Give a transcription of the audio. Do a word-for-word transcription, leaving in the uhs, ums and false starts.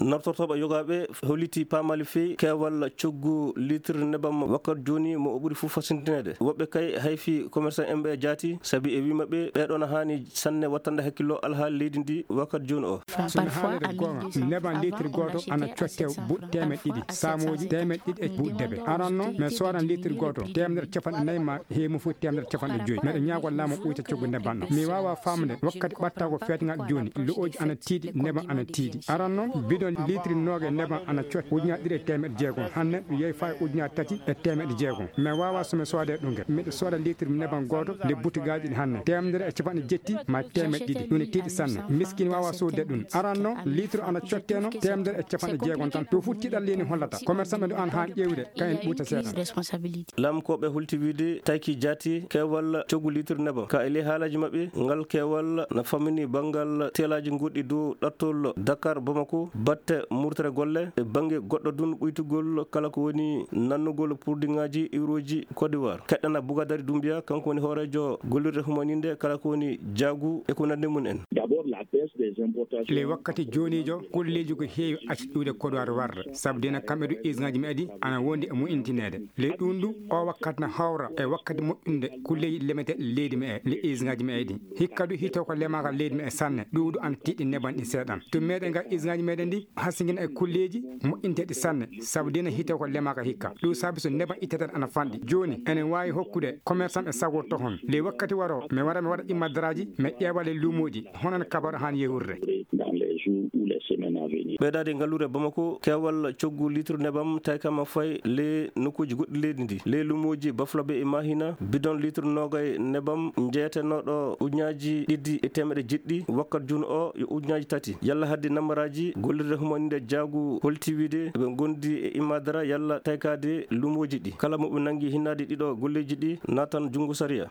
Naftortooɓe yogaaɓe holliti paamaali feewi keewal coggu litre nebam wakkati jooni mo o ɓuri fof fasintineede. Woɓɓe kay hayfi commerçant en ɓe jaati, sabi e wii maɓɓe ɓeeɗo na haani sanne wattande hakkillo alhaali leydi ndi wakkati jooni o. So mi haalde goonga, neban litre gooto ana cotte buuɗi teemeɗɗe ɗiɗi, saamooji teemeɗɗe ɗiɗi e buuɗi debe. Aran noon, mi soodan litre gooto teemedere capanɗe nayi ma heewi mo fof teemedere capanɗe joyi. Miɗo ñaagoo laamu ɓuyta coggu neban ɗam. Mi waawaa faamde wakkati ɓatta ko feetngal jooni, lo'ooji ana tiiɗi, neban ana tiiɗi. Aran noon, bidon litre noogay neban ana cotte ujunaaji ɗiɗi e teemeɗɗe jeegom. Hanne ɗum yehi faa e ujunaaji tati e teemeɗɗe jeegom. Mi waawaa so mi soodee ɗum ngel. Miɗo sooda litre neban gooto nde butigaaji ɗi hanne. Teemedere e capanɗe jetti ma teemeɗɗe ɗiɗi. Ɗum ne tiiɗi sanne. Miskin waawaa soodde ɗum. Aran noon, litre ana cotteno teemedere e capanɗe jeegom tan. Ɗum fof tiiɗalla leydi hollata. Commerçant ɓe ɗo ana haan ƴeewde, kayen ɓuyta seeɗa. Laamkooɓe hulti wiide tayki jaati keewal coggu litre nebam. Ka e ley haalaaji maɓɓe, ngal keewal na fammini banngal teelaaji goɗɗi dow ɗattol Dakar Bamako, batte murtere golle e bannge goɗɗo dun ɓuytugol kala ko woni nannugol purdiŋaaji iwrooji Côte d'Ivoire. Keɗɗana Bougadari Doumbia, kanko woni hooreejo gollirde humaninde kala ko woni jaagu e ko nanndi mum en. D'abord, la baisse des importations. Ley wakkati jooniijo, kulleeji ko heewi acci iwde Côte d'Ivoire warde, sabu dina kamɓe du usine ŋaaji meɗi ana wondi e moƴƴintineede. Ley ɗum du, o wakkati na hawra e wakkati moƴƴunde kulleeji lemeteeɗi leydi meɗe, le usine ŋaaji meɗi. Hikka du hito ko lemaaka leydi meɗe sanne, ɗum du ana tiiɗi neban ɗi seeɗan. To meɗen ga usine ŋaaji meɗen ndi, hasingina e kulleeji moƴƴinteeɗi sanne, sabu dina hito ko lemaaka hikka. Ɗum saabi so neban itteteeɗo ana fanɗi. Jooni, enen waawi hokkude commerçant e sago tohon. Ley wakkati waro, mi wara, mi waɗa immadaraaji, mi ƴeewa ley luumooji, hono no kabaru haan yehurde. Dans les jours ou les semaines à venir. Ɓeydaade ngalluure Bamako, keewal coggu litre nebam taykama fay ley nokkuuji goɗɗi leydi ndi. Ley luumooji Bafulabe e Mahina, bidon litre noogay nebam njeeyatenooɗo ujunaaji ɗiɗi e teemeɗe jeɗɗi, wakkati jooni o yo ujunaaji tati. Yalla haddi nambaraaji gollirde humaninde jaagu holti wiide ɓe ngondi e immadara yalla taykaade luumooji ɗi. Kala mo ɓe nanngi hinnaade ɗiɗo golleeji ɗi, naatan junngo sariya.